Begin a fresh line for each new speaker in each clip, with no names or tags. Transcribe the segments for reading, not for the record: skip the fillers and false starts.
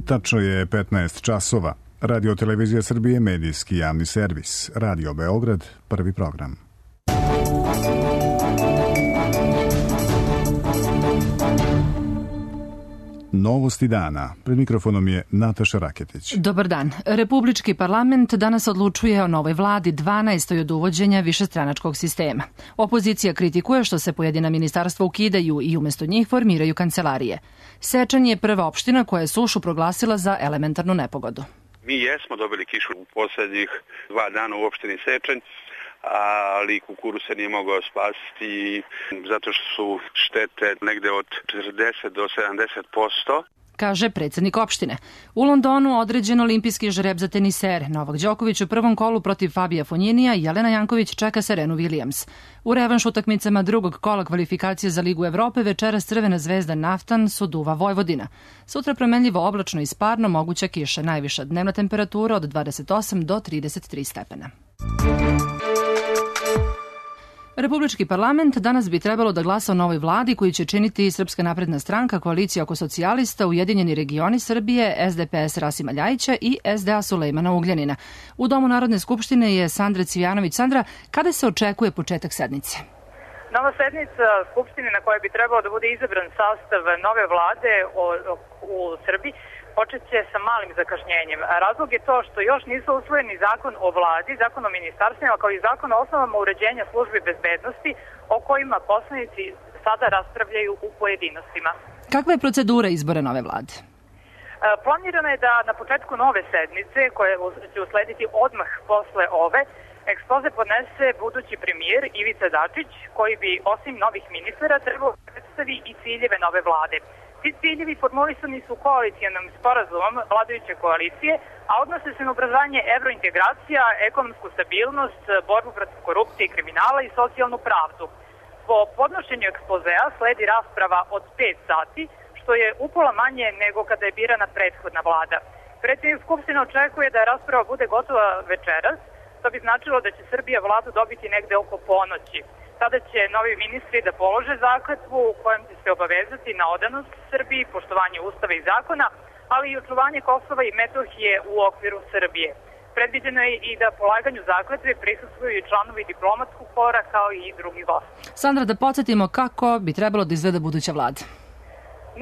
Tačno je 15 časova. Radio Televizija Srbije, medijski javni servis. Radio Beograd, prvi program. Novosti dana. Pred mikrofonom je Nataša Raketić.
Dobar dan. Republički parlament danas odlučuje o novoj vladi 12. od uvođenja višestranačkog sistema. Opozicija kritikuje što se pojedina ministarstva ukidaju i umesto njih formiraju kancelarije. Sečanj je prva opština koja je sušu proglasila za elementarnu nepogodu.
Mi jesmo dobili kišu u poslednjih 2 dana u opštini Sečanj, ali kukuruz se nije mogao spasiti zato što su štete negde od 40 do 70%.
Kaže predsjednik opštine. U Londonu određen olimpijski žreb za tenisere. Novak Đoković u prvom kolu protiv Fabija Fonjinija i Jelena Janković čeka Serenu Williams. U revanš utakmicama drugog kola kvalifikacije za Ligu Evrope večeras Crvena zvezda Naftan Suduva Vojvodina. Sutra promenljivo oblačno i sparno, moguća kiša, najviša dnevna temperatura od 28 do 33 stepena. Republički parlament danas bi trebalo da glasa o novoj vladi koju će činiti Srpska napredna stranka, koalicija oko socijalista, Ujedinjeni regioni Srbije, SDPS Rasima Ljajića i SDA Sulejmana Ugljanina. U Domu Narodne skupštine je Sandra Cvijanović. Sandra, kada se očekuje početak sednice?
Nova sednica Skupštine na kojoj bi trebalo da bude izabran sastav nove vlade u Srbiji počeće sa malim zakašnjenjem. Razlog je to što još nisu usvojeni zakon o vladi, zakon o ministarstvima, kao i zakon o osnovama uređenja službi bezbednosti, o kojima poslanici sada raspravljaju u pojedinostima.
Kakva je procedura izbora nove vlade?
Planirano je da na početku nove sednice, koje će uslediti odmah posle ove, ekspoze podnese budući premijer Ivica Dačić, koji bi osim novih ministara trebao predstavi i ciljeve nove vlade. Ti ciljevi formulisani su koalicijalnim sporazumom vladajuće koalicije, a odnose se na ubrzanje evrointegracija, ekonomsku stabilnost, borbu protiv korupcije i kriminala i socijalnu pravdu. Po podnošenju ekspozea sledi rasprava od 5 sati, što je upola manje nego kada je birana prethodna vlada. Predsjednik Skupštine očekuje da rasprava bude gotova večeras. To bi značilo da će Srbija vladu dobiti negde oko ponoći. Tada će novi ministri da polože zakletvu u kojem će se obavezati na odanost Srbiji, poštovanje ustava i zakona, ali i očuvanje Kosova i Metohije u okviru Srbije. Predviđeno je i da polaganju zakletve prisustvuju i članovi diplomatskog kora kao i drugi gosti.
Sandra, da podsjetimo kako bi trebalo da izgleda buduća vlada.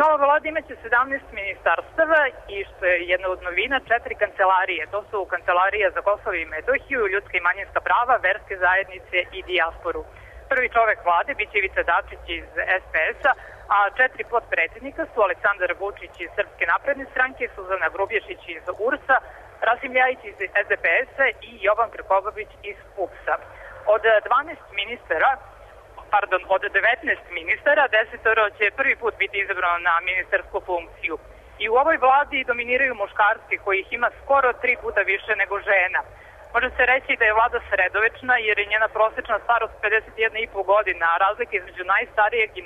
Nova vlada imaće 17 ministarstava i što je jedna od novina 4 kancelarije. To su Kancelarija za Kosovo i Metohiju, ljudska i manjinska prava, verske zajednice i dijasporu. Prvi čovek vlade biće Ivica Dačić iz SPS-a, a 4 potpredsjednika su Aleksandar Vučić iz Srpske napredne stranke, Suzana Grubješić iz URS-a, Rasim Ljajić iz SDPS-a i Jovan Krkobabić iz PUPS-a. Od 19 ministara, 10 će prvi put biti izabrano na ministarsku funkciju. I u ovoj vladi dominiraju muškarci, kojih ima skoro 3 puta više nego žena. Može se reći da je vlada sredovečna jer je njena prosečna starost 51,5 godina, a razlika između najstarijeg i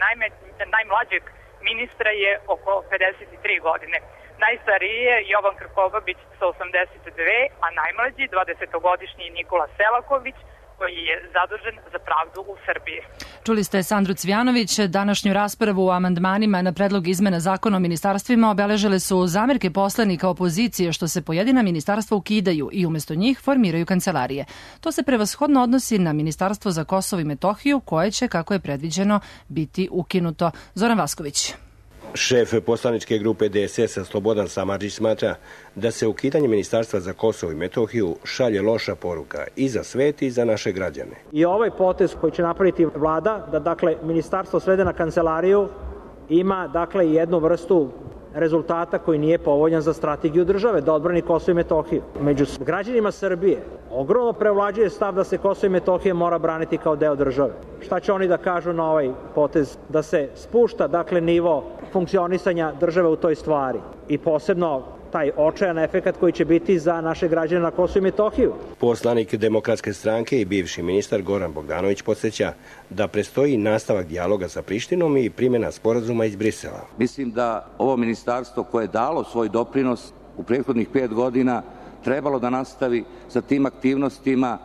najmlađeg ministra je oko 53 godine. Najstariji je Jovan Krkobabić sa 82, a najmlađi 20-godišnji Nikola Selaković, koji je zadužen za pravdu u Srbiji.
Čuli ste Sandru Cvijanović. Današnju raspravu o amandmanima na predlog izmena zakona o ministarstvima obeležile su zamerke poslanika opozicije što se pojedina ministarstva ukidaju i umesto njih formiraju kancelarije. To se prevashodno odnosi na Ministarstvo za Kosovo i Metohiju, koje će, kako je predviđeno, biti ukinuto. Zoran Vasković.
Šef poslaničke grupe DSS-a Slobodan Samardžić smatra da se ukidanje Ministarstva za Kosovo i Metohiju šalje loša poruka i za svet i za naše građane.
I ovaj potez koji će napraviti vlada, da ministarstvo svede na kancelariju, ima jednu vrstu rezultata koji nije povoljan za strategiju države, da odbrani Kosovo i Metohiju. Među građanima Srbije ogromno prevlađuje stav da se Kosovo i Metohija mora braniti kao deo države. Šta će oni da kažu na ovaj potez? Da se spušta, nivo funkcionisanja države u toj stvari i posebno taj očajan efekat koji će biti za naše građane na Kosovu i Metohiju.
Poslanik Demokratske stranke i bivši ministar Goran Bogdanović podsjeća da predstoji nastavak dijaloga sa Prištinom i primjena sporazuma iz Brisela.
Mislim da ovo ministarstvo koje je dalo svoj doprinos u prethodnih 5 godina trebalo da nastavi sa tim aktivnostima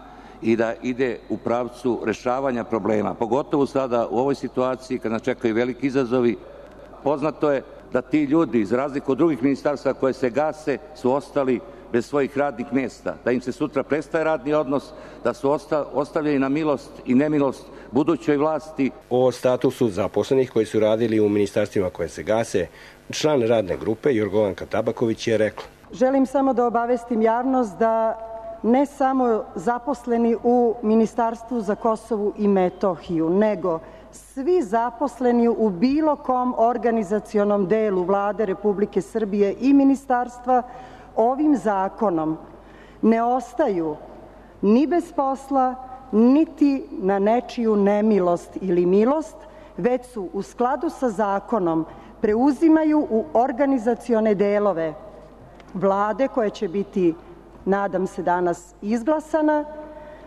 i da ide u pravcu rešavanja problema. Pogotovo sada u ovoj situaciji kad nas čekaju veliki izazovi. Poznato je da ti ljudi, za razliku od drugih ministarstva koje se gase, su ostali bez svojih radnih mjesta, da im se sutra prestaje radni odnos, da su ostavljeni na milost i nemilost budućoj vlasti.
O statusu zaposlenih koji su radili u ministarstvima koje se gase, član radne grupe Jorgovanka Tabaković je rekla:
želim samo da obavestim javnost da ne samo zaposleni u Ministarstvu za Kosovo i Metohiju, nego svi zaposleni u bilo kom organizacionom delu Vlade Republike Srbije i ministarstva ovim zakonom ne ostaju ni bez posla, niti na nečiju nemilost ili milost, već su u skladu sa zakonom preuzimaju u organizacione delove Vlade koja će biti, nadam se, danas izglasana,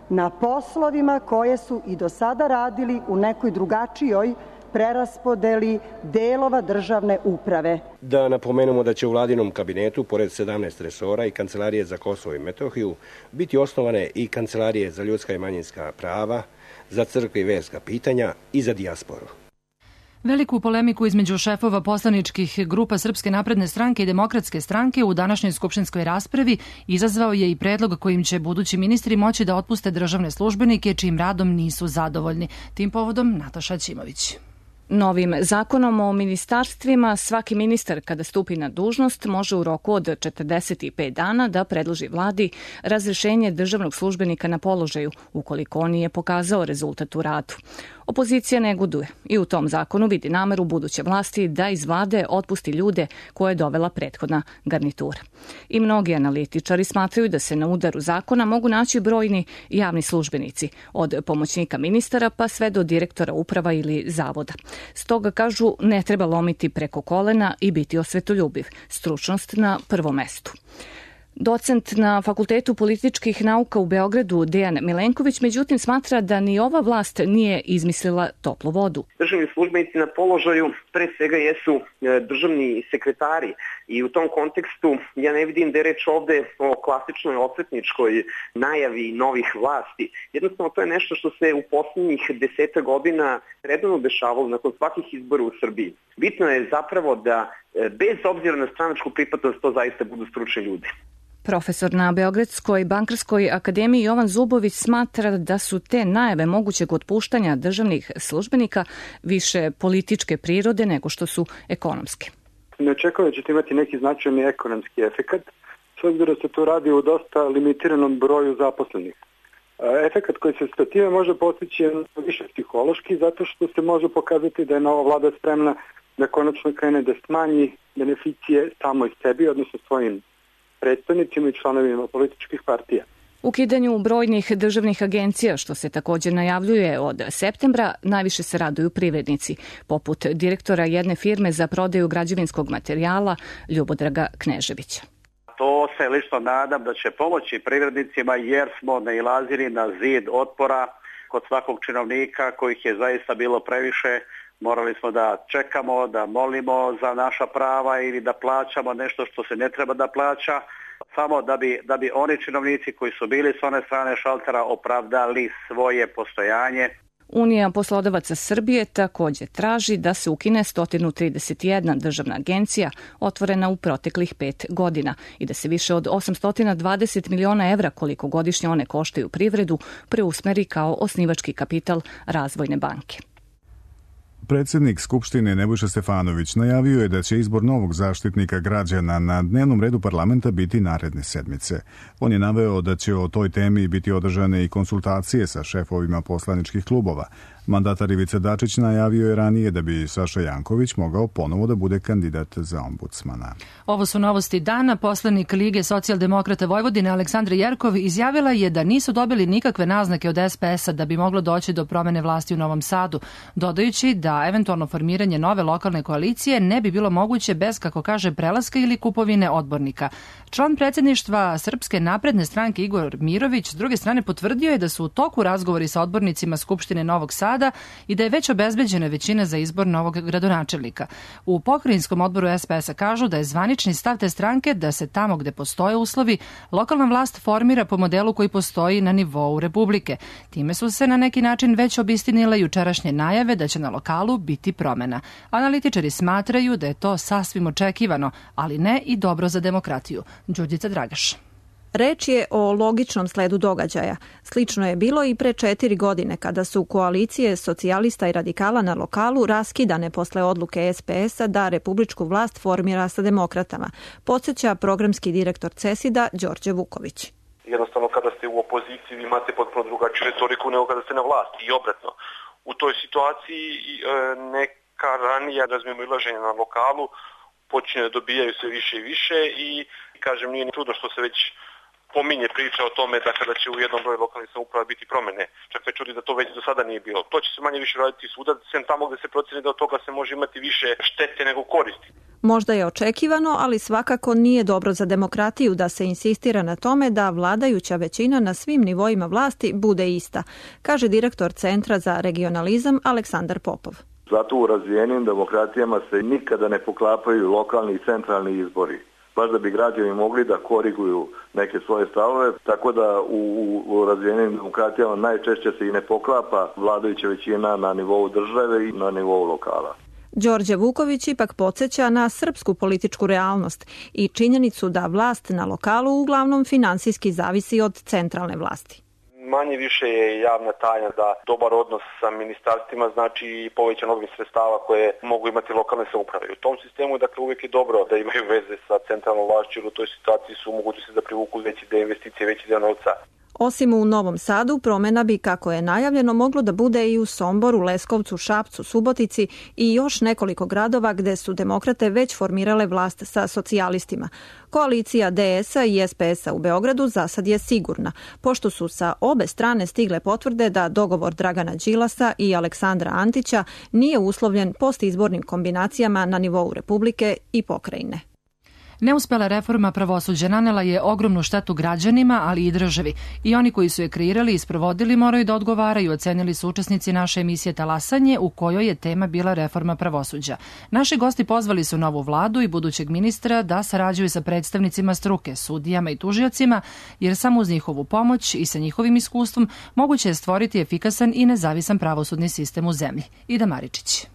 na poslovima koje su i do sada radili u nekoj drugačijoj preraspodeli delova državne uprave.
Da napomenemo da će u vladinom kabinetu, pored 17 resora i Kancelarije za Kosovo i Metohiju, biti osnovane i Kancelarije za ljudska i manjinska prava, za crkve i verska pitanja i za dijasporu.
Veliku polemiku između šefova poslaničkih grupa Srpske napredne stranke i Demokratske stranke u današnjoj skupštinskoj raspravi izazvao je i predlog kojim će budući ministri moći da otpuste državne službenike čijim radom nisu zadovoljni. Tim povodom Nataša Ćimović.
Novim zakonom o ministarstvima svaki ministar kada stupi na dužnost može u roku od 45 dana da predloži vladi razrešenje državnog službenika na položaju ukoliko on nije pokazao rezultat u radu. Opozicija neguduje i u tom zakonu vidi nameru buduće vlasti da iz vlade otpusti ljude koje je dovela prethodna garnitura. I mnogi analitičari smatraju da se na udaru zakona mogu naći brojni javni službenici, od pomoćnika ministara pa sve do direktora uprava ili zavoda. Stoga, kažu, ne treba lomiti preko kolena i biti osvetoljubiv. Stručnost na prvom mestu. Docent na Fakultetu političkih nauka u Beogradu Dejan Milenković, međutim, smatra da ni ova vlast nije izmislila toplu vodu.
Državni službenici na položaju pre svega jesu državni sekretari i u tom kontekstu ja ne vidim da je reč ovde o klasičnoj osvetničkoj najavi novih vlasti. Jednostavno to je nešto što se u poslednjih 10 godina redovno dešavalo nakon svakih izbora u Srbiji. Bitno je zapravo da bez obzira na stranačku pripadnost to zaista budu stručni ljudi.
Profesor na Beogradskoj bankarskoj akademiji Jovan Zubović smatra da su te najave mogućeg otpuštanja državnih službenika više političke prirode nego što su ekonomske.
Ne očekujem da ćete imati neki značajni ekonomski efekat, s obzirom da se to radi u dosta limitiranom broju zaposlenih. Efekat koji se sa time može postići je više psihološki, zato što se može pokazati da je nova vlada spremna da konačno krene da smanji beneficije samoj sebi, odnosno svojim predstavnicima i članovima političkih partija.
Ukidanju brojnih državnih agencija, što se također najavljuje od septembra, najviše se raduju privrednici, poput direktora jedne firme za prodaju građevinskog materijala Ljubodraga Kneževića.
To se lično nadam da će pomoći privrednicima jer smo nailazili na zid otpora kod svakog činovnika kojih je zaista bilo previše. Morali smo da čekamo, da molimo za naša prava ili da plaćamo nešto što se ne treba da plaća, samo da bi oni činovnici koji su bili s one strane šaltera opravdali svoje postojanje.
Unija poslodavaca Srbije također traži da se ukine 131 državna agencija otvorena u proteklih 5 godina i da se više od 820 miliona evra koliko godišnje one koštaju privredu preusmeri kao osnivački kapital Razvojne banke.
Predsjednik Skupštine Nebojša Stefanović najavio je da će izbor novog zaštitnika građana na dnevnom redu parlamenta biti naredne sedmice. On je naveo da će o toj temi biti održane i konsultacije sa šefovima poslaničkih klubova. Mandatar Ivica Dačić najavio je ranije da bi Saša Janković mogao ponovo da bude kandidat za ombudsmana.
Ovo su novosti dana. Poslanik Lige socijaldemokrata Vojvodine Aleksandra Jerkov izjavila je da nisu dobili nikakve naznake od SPS-a da bi moglo doći do promene vlasti u Novom Sadu, dodajući da eventualno formiranje nove lokalne koalicije ne bi bilo moguće bez, kako kaže, prelaska ili kupovine odbornika. Član predsjedništva Srpske napredne stranke Igor Mirović s druge strane potvrdio je da su u toku razgovori sa odbornicima Skupštine Novog Sada grada i da je već obezbeđena većina za izbor novog gradonačelnika. U pokrajinskom odboru SPS-a kažu da je zvanični stav te stranke da se tamo gde postoje uslovi, lokalna vlast formira po modelu koji postoji na nivou Republike. Time su se na neki način već obistinile jučerašnje najave da će na lokalu biti promena. Analitičari smatraju da je to sasvim očekivano, ali ne i dobro za demokratiju. Đurđica Dragaš.
Reč je o logičnom sledu događaja. Slično je bilo i pre 4 godine kada su koalicije socijalista i radikala na lokalu raskidane posle odluke SPS-a da republičku vlast formira sa demokratama, podsjeća programski direktor CESID-a Đorđe Vuković.
Jednostavno kada ste u opoziciji vi imate potpuno drugačiju retoriku nego kada ste na vlasti i obratno. U toj situaciji neka ranija razmimoilaženja na lokalu počinje da dobijaju sve više i više i kažem nije ni čudno što se već pominje priča o tome da kada će u jednom broju lokalnih samouprava biti promene. Čak me čudi da to već do sada nije bilo. To će se manje više raditi svuda, sem tamo gde se proceni da od toga se može imati više štete nego koristi.
Možda je očekivano, ali svakako nije dobro za demokratiju da se insistira na tome da vladajuća većina na svim nivoima vlasti bude ista, kaže direktor Centra za regionalizam Aleksandar Popov.
Zato u razvijenim demokratijama se nikada ne poklapaju lokalni i centralni izbori. Baš da bi građani mogli da koriguju neke svoje stavove, tako da u razvijenim demokratijama najčešće se i ne poklapa vladajuća većina na nivou države i na nivou lokala.
Đorđe Vuković ipak podsjeća na srpsku političku realnost i činjenicu da vlast na lokalu uglavnom finansijski zavisi od centralne vlasti.
Manje više je javna tajna da dobar odnos sa ministarstvima znači i povećan obim sredstava koje mogu imati lokalne samouprave. U tom sistemu je dakle uvijek je dobro da imaju veze sa centralnom vlašću, jer u toj situaciji su mogućnosti da privuku veći deo investicije, veći deo novca.
Osim u Novom Sadu, promena bi, kako je najavljeno, moglo da bude i u Somboru, Leskovcu, Šapcu, Subotici i još nekoliko gradova gde su demokrate već formirale vlast sa socijalistima. Koalicija DS-a i SPS-a u Beogradu za sad je sigurna, pošto su sa obe strane stigle potvrde da dogovor Dragana Đilasa i Aleksandra Antića nije uslovljen postizbornim kombinacijama na nivou Republike i pokrajine.
Neuspela reforma pravosuđa nanela je ogromnu štetu građanima, ali i državi. I oni koji su je kreirali i sprovodili moraju da odgovaraju, ocenili su učesnici naše emisije Talasanje, u kojoj je tema bila reforma pravosuđa. Naši gosti pozvali su novu vladu i budućeg ministra da sarađuju sa predstavnicima struke, sudijama i tužiocima, jer samo uz njihovu pomoć i sa njihovim iskustvom moguće je stvoriti efikasan i nezavisan pravosudni sistem u zemlji. Ida Maričić.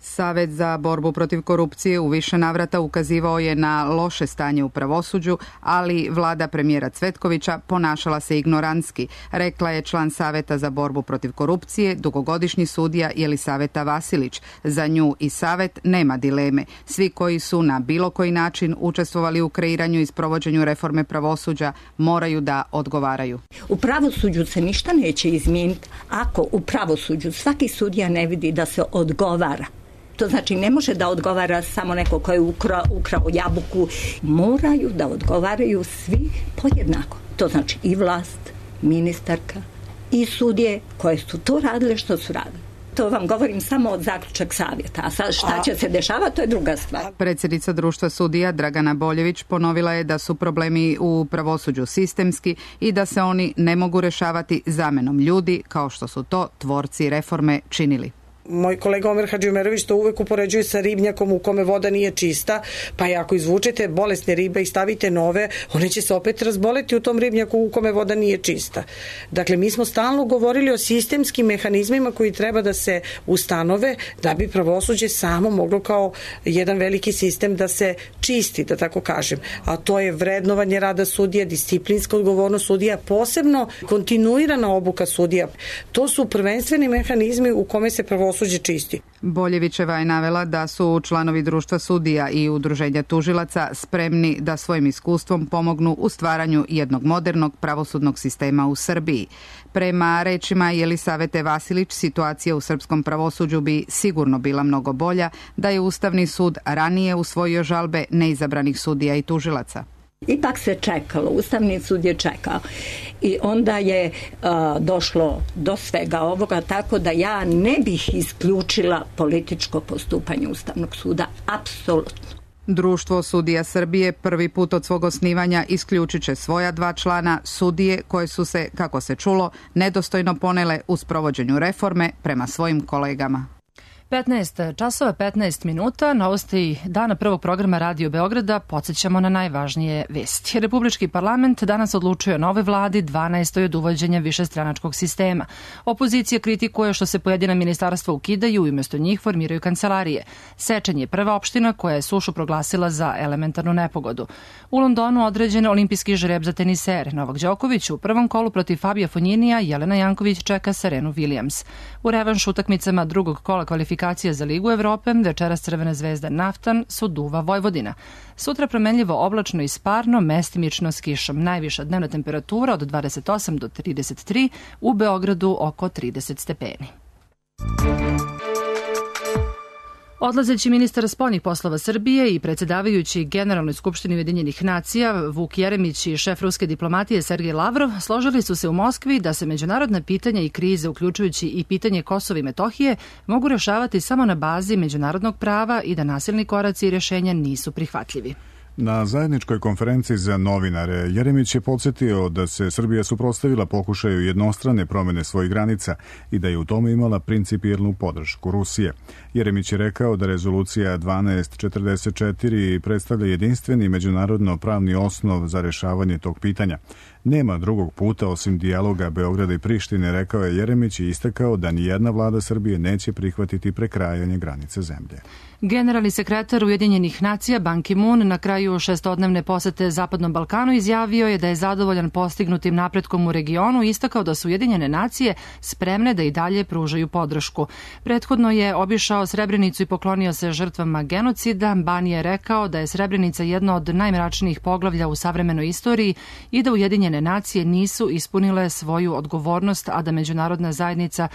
Savet za borbu protiv korupcije u više navrata ukazivao je na loše stanje u pravosuđu, ali vlada premijera Cvetkovića ponašala se ignorantski, rekla je član Saveta za borbu protiv korupcije, dugogodišnji sudija Jelisaveta Vasilić. Za nju i Savet nema dileme. Svi koji su na bilo koji način učestvovali u kreiranju i sprovođenju reforme pravosuđa moraju da odgovaraju.
U pravosuđu se ništa neće izmijeniti ako u pravosuđu svaki sudija ne vidi da se odgovara. To znači ne može da odgovara samo neko ko je ukrao jabuku. Moraju da odgovaraju svi podjednako. To znači i vlast, ministarka i sudije koje su to radile što su radile. To vam govorim samo od zaključak savjeta. A sad šta će se dešavati, to je druga stvar.
Predsjednica društva sudija Dragana Boljević ponovila je da su problemi u pravosuđu sistemski i da se oni ne mogu rešavati zamenom ljudi, kao što su to tvorci reforme činili.
Moj kolega Omer Hadžimerović to uvek upoređuje sa ribnjakom u kome voda nije čista, pa ako izvučete bolesne ribe i stavite nove, one će se opet razboleti u tom ribnjaku u kome voda nije čista. Dakle, mi smo stalno govorili o sistemskim mehanizmima koji treba da se ustanove da bi pravosuđe samo moglo kao jedan veliki sistem da se čisti, da tako kažem. A to je vrednovanje rada sudija, disciplinska odgovornost sudija, posebno kontinuirana obuka sudija. To su prvenstveni mehanizmi u kome se pravosuđe čisti.
Boljevićeva je navela da su članovi društva sudija i udruženja tužilaca spremni da svojim iskustvom pomognu u stvaranju jednog modernog pravosudnog sistema u Srbiji. Prema rečima Jelisavete Vasilić, situacija u srpskom pravosuđu bi sigurno bila mnogo bolja da je Ustavni sud ranije usvojio žalbe neizabranih sudija i tužilaca.
Ipak se čekalo, Ustavni sud je čekao i onda je došlo do svega ovoga, tako da ja ne bih isključila političko postupanje Ustavnog suda, apsolutno.
Društvo sudija Srbije prvi put od svog osnivanja isključit će svoja 2 člana sudije koje su se, kako se čulo, nedostojno ponele u sprovođenju reforme prema svojim kolegama.
15 časova 15 minuta, novosti dana prvog programa Radio Beograda, podsjećamo na najvažnije vesti. Republički parlament danas odlučuje o nove vladi 12. od uvođenja višestranačkog sistema. Opozicija kritikuje što se pojedina ministarstva ukidaju i umjesto njih formiraju kancelarije. Sečanj je prva opština koja je sušu proglasila za elementarnu nepogodu. U Londonu određen olimpijski žreb za tenisere. Novak Đoković u prvom kolu protiv Fabija Fonjinija, Jelena Janković čeka Serenu Williams. U revanš utakmicama drugog kola kvalifikacija za Ligu Evrope, večeras Crvena zvezda Naftan, Suduva Vojvodina. Sutra promenljivo oblačno i sparno, mestimično s kišom. Najviša dnevna temperatura od 28 do 33, u Beogradu oko 30 stepeni. Odlazeći ministar spoljnih poslova Srbije i predsjedavajući Generalnoj skupštini Ujedinjenih nacija Vuk Jeremić i šef ruske diplomatije Sergej Lavrov složili su se u Moskvi da se međunarodna pitanja i krize, uključujući i pitanje Kosova i Metohije, mogu rješavati samo na bazi međunarodnog prava i da nasilni koraci i rješenja nisu prihvatljivi.
Na zajedničkoj konferenciji za novinare Jeremić je podsjetio da se Srbija suprotstavila pokušaju jednostrane promjene svojih granica i da je u tome imala principijelnu podršku Rusije. Jeremić je rekao da rezolucija 1244 predstavlja jedinstveni međunarodno pravni osnov za rješavanje tog pitanja. Nema drugog puta osim dijaloga Beograda i Prištine, rekao je Jeremić i istakao da nijedna vlada Srbije neće prihvatiti prekrajanje granice zemlje.
Generalni sekretar Ujedinjenih nacija Ban Ki-moon na kraju 6-dnevne posete Zapadnom Balkanu izjavio je da je zadovoljan postignutim napretkom u regionu i istakao da su Ujedinjene nacije spremne da i dalje pružaju podršku. Prethodno je obišao Srebrenicu i poklonio se žrtvama genocida. Ban je rekao da je Srebrenica jedno od najmračnijih poglavlja u savremenoj istoriji i da Ujedinjene nacije nisu ispunile svoju odgovornost, a da međunarodna zajednica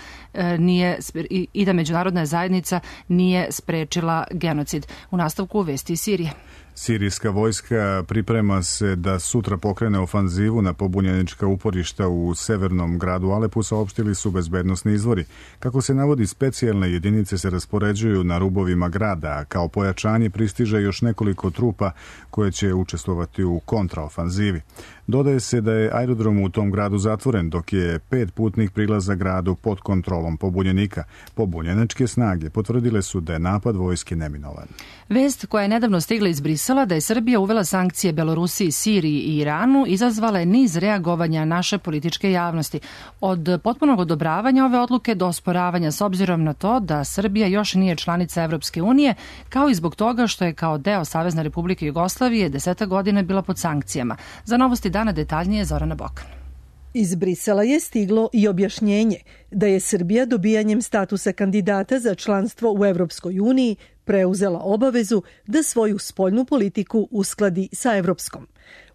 nije sprečila genocid. U nastavku vesti iz Sirije.
Sirijska vojska priprema se da sutra pokrene ofanzivu na pobunjenička uporišta u severnom gradu Alepu, saopštili su bezbednosni izvori. Kako se navodi, specijalne jedinice se raspoređuju na rubovima grada, a kao pojačanje pristiže još nekoliko trupa koje će učestvovati u kontraofanzivi. Dodaje se da je aerodrom u tom gradu zatvoren, dok je 5 putnih prilaza gradu pod kontrolom pobunjenika. Pobunjeničke snage potvrdile su da je napad vojske neminovan.
Vest koja je nedavno stigla iz Brisela da je Srbija uvela sankcije Belorusiji, Siriji i Iranu izazvala je niz reagovanja naše političke javnosti. Od potpunog odobravanja ove odluke do osporavanja s obzirom na to da Srbija još nije članica Evropske unije, kao i zbog toga što je kao deo Savezne Republike Jugoslavije 10 godina bila pod sankcijama. Za novosti dana detaljnije Zorana Bokan.
Iz Brisela je stiglo i objašnjenje da je Srbija dobijanjem statusa kandidata za članstvo u Evropskoj uniji preuzela obavezu da svoju spoljnu politiku uskladi sa evropskom.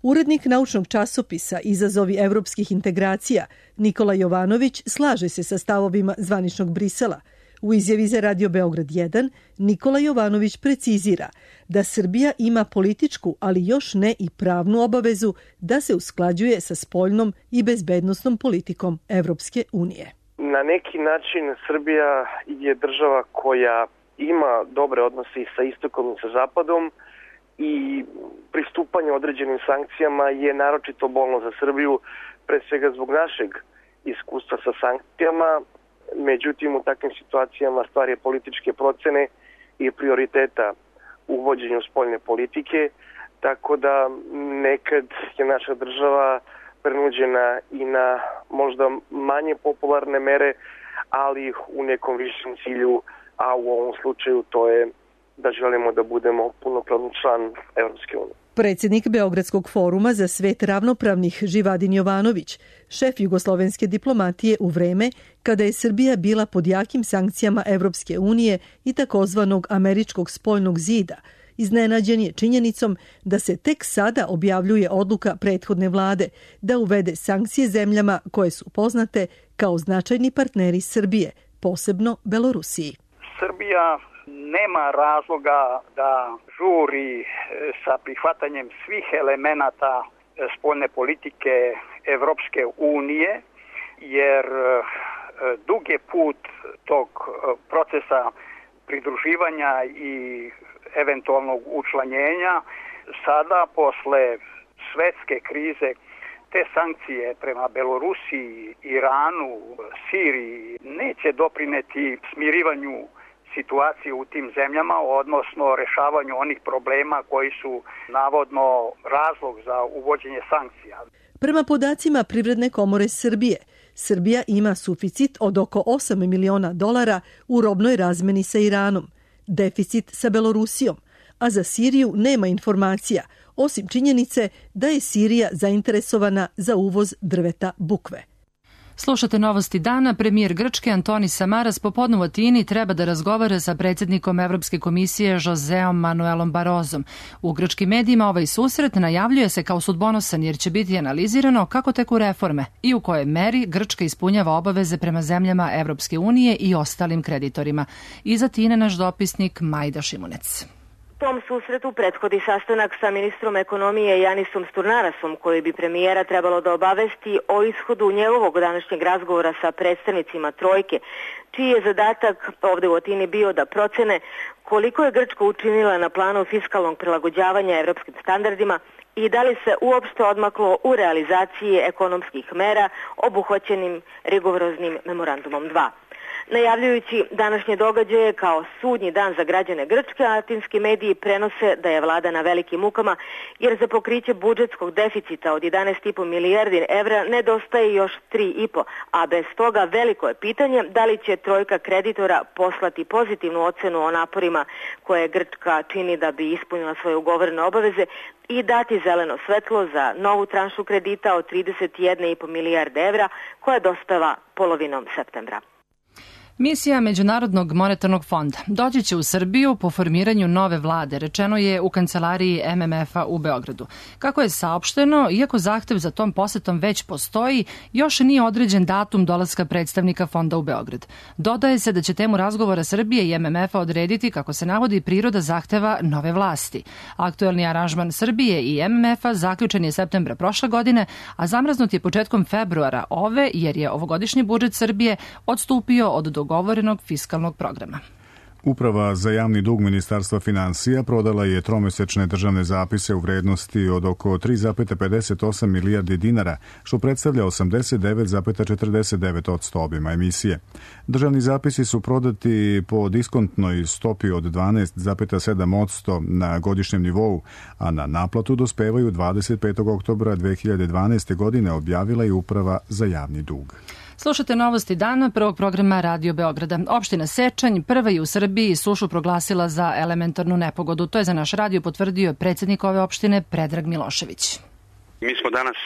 Urednik naučnog časopisa Izazovi evropskih integracija Nikola Jovanović slaže se sa stavovima zvaničnog Brisela. U izjavi za Radio Beograd 1 Nikola Jovanović precizira da Srbija ima političku, ali još ne i pravnu obavezu da se usklađuje sa spoljnom i bezbednosnom politikom Evropske unije.
Na neki način Srbija je država koja ima dobre odnose i sa istokom i sa zapadom i pristupanje određenim sankcijama je naročito bolno za Srbiju, pre svega zbog našeg iskustva sa sankcijama. Međutim, u takvim situacijama stvar je političke procene i prioriteta u vođenju spoljne politike, tako da nekad je naša država prenuđena i na možda manje popularne mere, ali u nekom višem cilju, a u ovom slučaju to je da želimo da budemo punopravni član Evropske unije.
Predsjednik Beogradskog foruma za svet ravnopravnih Živadin Jovanović, šef jugoslovenske diplomatije u vreme kada je Srbija bila pod jakim sankcijama Evropske unije i takozvanog američkog spoljnog zida, iznenađen je činjenicom da se tek sada objavljuje odluka prethodne vlade da uvede sankcije zemljama koje su poznate kao značajni partneri Srbije, posebno Belorusiji.
Srbija nema razloga da žuri sa prihvatanjem svih elemenata spoljne politike Evropske unije, jer dug je put tog procesa pridruživanja i eventualnog učlanjenja. Sada, posle svetske krize, te sankcije prema Belorusiji, Iranu, Siriji neće doprineti smirivanju situacije u tim zemljama, odnosno rešavanju onih problema koji su navodno razlog za uvođenje sankcija.
Prema podacima Privredne komore Srbije, Srbija ima suficit od oko $8 miliona u robnoj razmeni sa Iranom, deficit sa Belorusijom, a za Siriju nema informacija, osim činjenice da je Sirija zainteresovana za uvoz drveta bukve.
Slušate Novosti dana. Premijer Grčke Antonis Samaras popodne u Atini treba da razgovara sa predsjednikom Evropske komisije Joseom Manuelom Barozom. U grčkim medijima ovaj susret najavljuje se kao sudbonosan jer će biti analizirano kako teku reforme i u kojoj meri Grčka ispunjava obaveze prema zemljama Evropske unije i ostalim kreditorima. Iz Atine naš dopisnik Majda Šimunec.
Tom susretu prethodi sastanak sa ministrom ekonomije Janisom Sturnarasom, koji bi premijera trebalo da obavesti o ishodu njegovog današnjeg razgovora sa predstavnicima trojke, čiji je zadatak ovde u Atini bio da procene koliko je Grčka učinila na planu fiskalnog prilagođavanja evropskim standardima i da li se uopšte odmaklo u realizaciji ekonomskih mera obuhvaćenim rigoroznim memorandumom 2. Najavljujući današnje događaje kao sudnji dan za građane Grčke, atinski mediji prenose da je vlada na velikim mukama jer za pokriće budžetskog deficita od 11,5 milijardi evra nedostaje još 3,5, a bez toga veliko je pitanje da li će trojka kreditora poslati pozitivnu ocenu o naporima koje Grčka čini da bi ispunila svoje ugovorene obaveze i dati zeleno svetlo za novu tranšu kredita od 31,5 milijarde evra koja dospeva polovinom septembra.
Misija Međunarodnog monetarnog fonda doći će u Srbiju po formiranju nove vlade, rečeno je u kancelariji MMF-a u Beogradu. Kako je saopšteno, iako zahtev za tom posetom već postoji, još nije određen datum dolaska predstavnika fonda u Beograd. Dodaje se da će temu razgovora Srbije i MMF-a odrediti, kako se navodi, priroda zahteva nove vlasti. Aktuelni aranžman Srbije i MMF-a zaključen je septembra prošle godine, a zamraznut je početkom februara ove, jer je ovogodišnji budžet Srbije odstupio od dogovorenog fiskalnog programa.
Uprava za javni dug Ministarstva finansija prodala je tromesečne državne zapise u vrednosti od oko 3,58 milijardi dinara, što predstavlja 89,49% obima emisije. Državni zapisi su prodati po diskontnoj stopi od 12,7% na godišnjem nivou, a na naplatu dospevaju 25. oktobra 2012. godine, objavila je Uprava za javni dug.
Slušate Novosti dana prvog programa Radio Beograda. Opština Sečanj prva je u Srbiji sušu proglasila za elementarnu nepogodu. To je za naš radio potvrdio predsjednik ove opštine Predrag Milošević.
Mi smo danas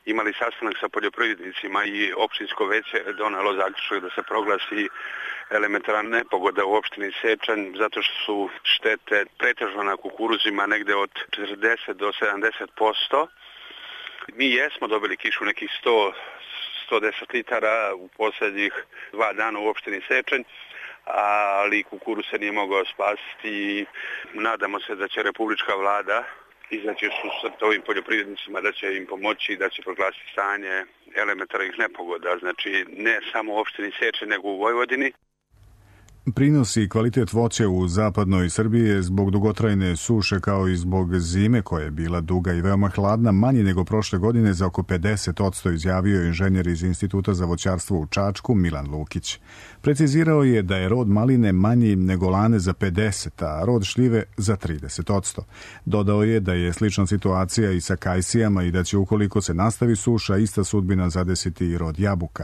imali sastanak sa poljoprivrednicima i opštinsko veće donelo zaključak da se proglasi elementarna nepogoda u opštini Sečanj zato što su štete pretežno na kukuruzima negde od 40 do 70%. Mi jesmo dobili kišu nekih 110 litara u posljednjih 2 dana u opštini Sečanj, ali kukuruz se nije mogao spasiti i nadamo se da će republička vlada izaći susret ovim poljoprivrednicima, da će im pomoći i da će proglasiti stanje elementarnih nepogoda, znači ne samo u opštini Sečanj nego u Vojvodini.
Prinos i kvalitet voća u zapadnoj Srbiji je zbog dugotrajne suše kao i zbog zime koja je bila duga i veoma hladna manji nego prošle godine za oko 50%, izjavio je inženjer iz Instituta za voćarstvo u Čačku Milan Lukić. Precizirao je da je rod maline manji nego lane za 50%, a rod šljive za 30%. Dodao je da je slična situacija i sa kajsijama i da će ukoliko se nastavi suša ista sudbina zadesiti i rod jabuka.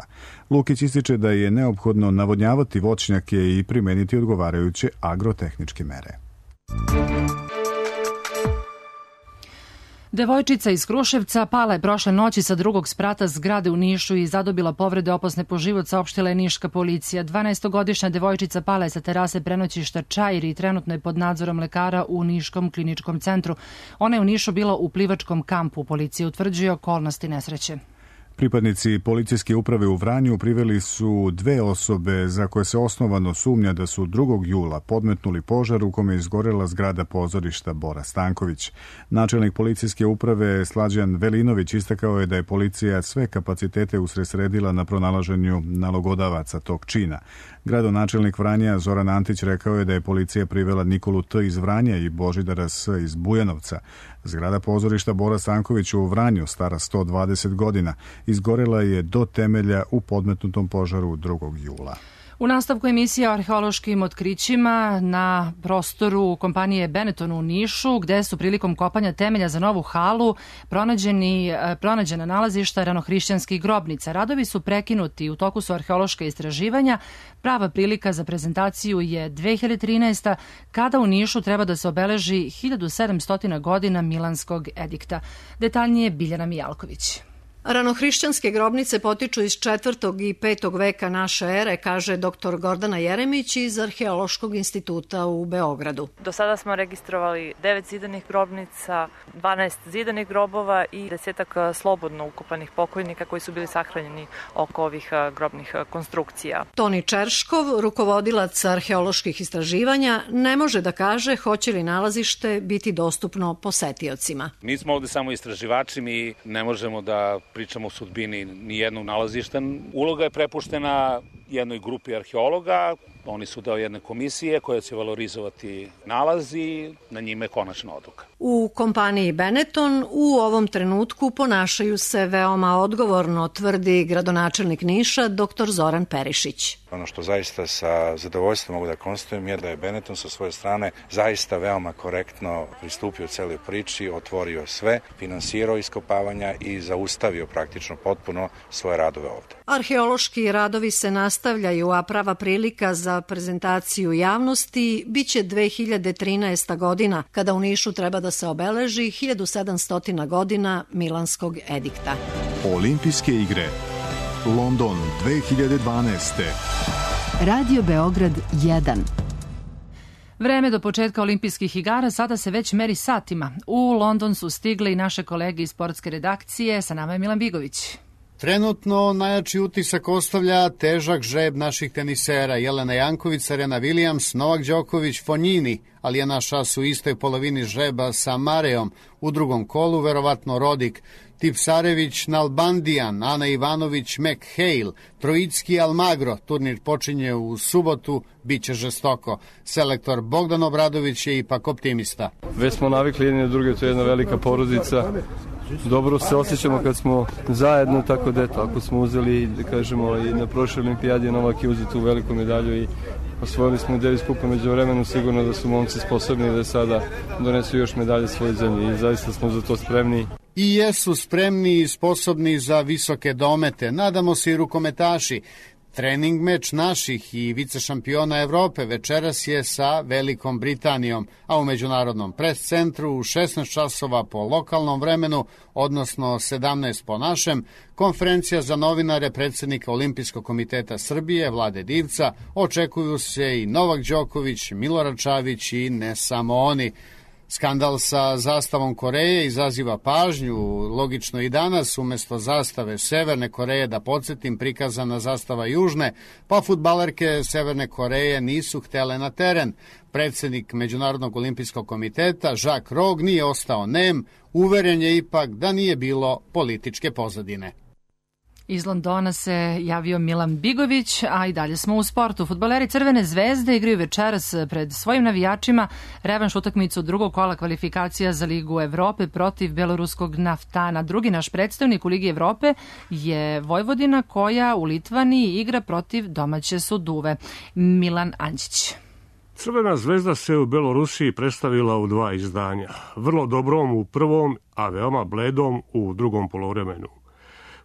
Lukić ističe da je neophodno navodnjavati voćnjake i primeniti odgovarajuće agrotehničke mere.
Devojčica iz Kruševca pala je prošle noći sa drugog sprata zgrade u Nišu i zadobila povrede opasne po život, saopštila je niška policija. 12-godišnja devojčica pala je sa terase prenoćišta Čair i trenutno je pod nadzorom lekara u Niškom kliničkom centru. Ona je u Nišu bila u plivačkom kampu. Policija utvrđuje okolnosti nesreće.
Pripadnici policijske uprave u Vranju priveli su 2 osobe za koje se osnovano sumnja da su 2. jula podmetnuli požar u kome je izgorela zgrada pozorišta Bora Stanković. Načelnik policijske uprave Slađan Velinović istakao je da je policija sve kapacitete usredsredila na pronalaženju nalogodavaca tog čina. Gradonačelnik Vranja Zoran Antić rekao je da je policija privela Nikolu T. iz Vranja i Božidara S. iz Bujanovca. Zgrada pozorišta Bora Stanković u Vranju, stara 120 godina, izgorela je do temelja u podmetnutom požaru 2. jula.
U nastavku emisije o arheološkim otkrićima na prostoru kompanije Benetton u Nišu, gde su prilikom kopanja temelja za novu halu pronađena nalazišta ranohrišćanskih grobnica. Radovi su prekinuti, u toku su arheološka istraživanja. Prava prilika za prezentaciju je 2013. kada u Nišu treba da se obeleži 1700 godina Milanskog edikta. Detaljnije Biljana Mijalković.
Ranohrišćanske grobnice potiču iz 4. i 5. veka naše ere, kaže dr. Gordana Jeremić iz Arheološkog instituta u Beogradu.
Do sada smo registrovali 9 zidanih grobnica, 12 zidanih grobova i 10 slobodno ukopanih pokojnika koji su bili sahranjeni oko ovih grobnih konstrukcija.
Toni Čerškov, rukovodilac arheoloških istraživanja, ne može da kaže hoće li nalazište biti dostupno posetiocima.
Mi smo ovde samo istraživači, mi ne možemo da pričamo o sudbini nijednog nalazišta. Uloga je prepuštena jednoj grupi arheologa, oni su deo jedne komisije koja će valorizovati nalazi, na njime je konačna odluka.
U kompaniji Benetton u ovom trenutku ponašaju se veoma odgovorno, tvrdi gradonačelnik Niša dr. Zoran Perišić.
Ono što zaista sa zadovoljstvom mogu da konstatujem je da je Benetton sa svoje strane zaista veoma korektno pristupio celoj priči, otvorio sve, finansirao iskopavanja i zaustavio praktično potpuno svoje radove ovde.
Arheološki radovi se nastavljaju, a prava prilika za prezentaciju javnosti biće 2013. godina, kada u Nišu treba da se obeleži 1700 godina Milanskog edikta.
Olimpijske igre London 2012.
Radio Beograd 1.
Vreme do početka olimpijskih igara sada se već meri satima. U London su stigle i naše kolege iz sportske redakcije. Sa nama je Milan Bigović.
Trenutno najjači utisak ostavlja težak žreb naših tenisera Jelena Janković, Serena Williams, Novak Đoković, Fonjini, ali je naš as u istoj polovini žreba sa Mareom. U drugom kolu verovatno Rodik, Tipsarević, Nalbandijan, Ana Ivanović, McHale, Trojicki, Almagro. Turnir počinje u subotu, bit će žestoko. Selektor Bogdan Obradović je ipak optimista.
Već smo navikli jedni na druge, to je jedna velika porodica. Dobro se osjećamo kad smo zajedno, tako da eto, ako smo uzeli, da kažemo, i na prošloj olimpijadi Novak je uzeo tu veliku medalju i osvojili smo Davis kupa među vremenu, sigurno da su momci sposobni da sada donesu još medalje svoje zemlje i zaista smo za to spremni.
I jesu spremni i sposobni za visoke domete, nadamo se i rukometaši. Trening meč naših i vicešampiona Evrope večeras je sa Velikom Britanijom, a u Međunarodnom pres centru u 16 časova po lokalnom vremenu, odnosno 17 po našem, konferencija za novinare predsjednika Olimpijskog komiteta Srbije, Vlade Divca, očekuju se i Novak Đoković, Milorad Čavić i ne samo oni. Skandal sa zastavom Koreje izaziva pažnju, logično i danas, umesto zastave Severne Koreje, da podsjetim, prikazana zastava Južne, pa fudbalerke Severne Koreje nisu htele na teren. Predsjednik Međunarodnog olimpijskog komiteta, Jacques Rogge, nije ostao nem, uveren je ipak da nije bilo političke pozadine.
Iz Londona se javio Milan Bigović, a i dalje smo u sportu. Fudbaleri Crvene zvezde igraju večeras pred svojim navijačima revanš utakmicu drugog kola kvalifikacija za Ligu Evrope protiv beloruskog Naftana. Drugi naš predstavnik u Ligi Evrope je Vojvodina, koja u Litvaniji igra protiv domaće Suduve. Milan Anđić.
Crvena zvezda se u Belorusiji predstavila u 2 izdanja. Vrlo dobrom u prvom, a veoma bledom u drugom poluvremenu.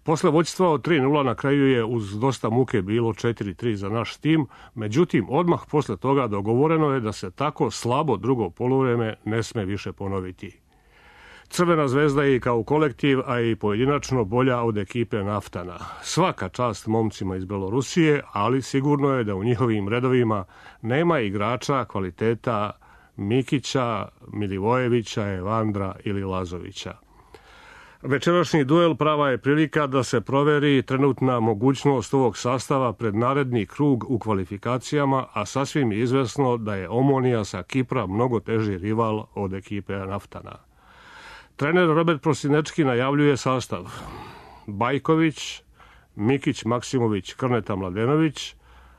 Posle vođstva od 3:0 na kraju je uz dosta muke bilo 4:3 za naš tim, međutim odmah posle toga dogovoreno je da se tako slabo drugo poluvreme ne sme više ponoviti. Crvena zvezda je i kao kolektiv, a i pojedinačno bolja od ekipe Naftana. Svaka čast momcima iz Belorusije, ali sigurno je da u njihovim redovima nema igrača kvaliteta Mikića, Milivojevića, Evandra ili Lazovića. Večerašnji duel prava je prilika da se proveri trenutna mogućnost ovog sastava pred naredni krug u kvalifikacijama, a sasvim je izvesno da je Omonija sa Kipra mnogo teži rival od ekipe Naftana. Trener Robert Prosinečki najavljuje sastav: Bajković, Mikić, Maksimović, Krneta, Mladenović,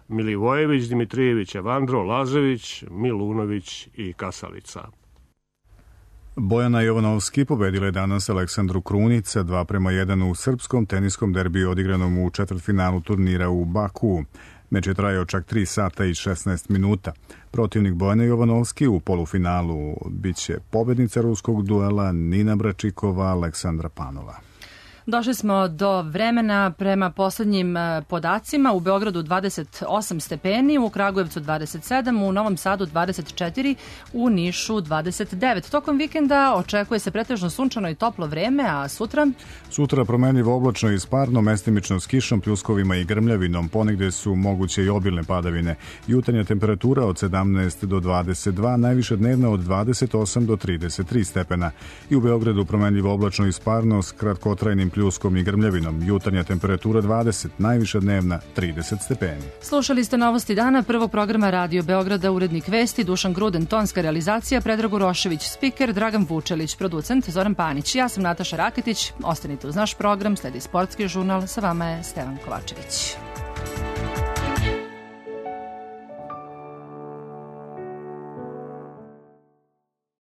Milivojević, Dimitrijević, Evandro, Lažević, Milunović i Kasalica.
Bojana Jovanovski pobedila je danas Aleksandru Krunić 2:1 u srpskom teniskom derbiju odigranom u četvrtfinalu turnira u Baku. Meč je trajao čak 3 sata i 16 minuta. Protivnik Bojane Jovanovski u polufinalu biće pobednica ruskog duela Nina Bračikova, Aleksandra Panova.
Došli smo do vremena prema poslednjim podacima. U Beogradu 28 stepeni, u Kragujevcu 27, u Novom Sadu 24, u Nišu 29. Tokom vikenda očekuje se pretežno sunčano i toplo vreme, a sutra?
Sutra promenljivo oblačno i sparno, mestimično s kišom, pljuskovima i grmljavinom. Ponegde su moguće i obilne padavine. Jutarnja temperatura od 17 do 22, najviše dnevna od 28 do 33 stepena. I u Beogradu promenljivo oblačno i sparno s kratkotrajnim pljuskom i grmljavinom. Jutarnja temperatura 20, najviša dnevna 30 stepeni.
Slušali ste novosti dana prvog programa Radio Beograda, urednik vesti Dušan Gruden, tonska realizacija Predrag Urošević, spiker Dragan Vučelić, producent Zoran Panić. Ja sam Nataša Raketić, ostanite uz naš program, sledi sportski žurnal, sa vama je Stevan Kovačević.